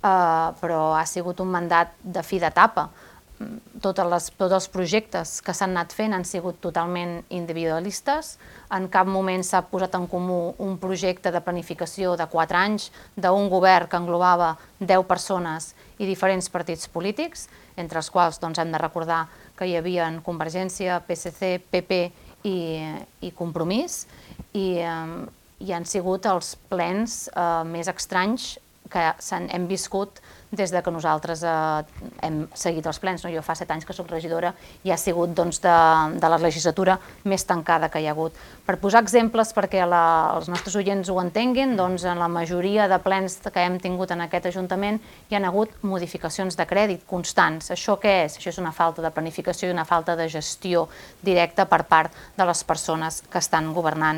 però ha sigut un mandat de fi d'etapa. Tots els projectes que s'han anat fent han sigut totalment individualistes. En cap moment s'ha posat en comú un projecte de planificació de 4 anys d'un govern que englobava 10 persones i diferents partits polítics, entre els quals hem de recordar que hi havia Convergència, PSC, PP i Compromís, i han sigut els plens més estranys que hem viscut des que nosaltres hem seguit els plens. Jo fa 7 anys que soc regidora i ha sigut de la legislatura més tancada que hi ha hagut. Per posar exemples perquè els nostres oients ho entenguin, en la majoria de plens que hem tingut en aquest Ajuntament hi ha hagut modificacions de crèdit constants. Això què és? Això és una falta de planificació i una falta de gestió directa per part de les persones que estan governant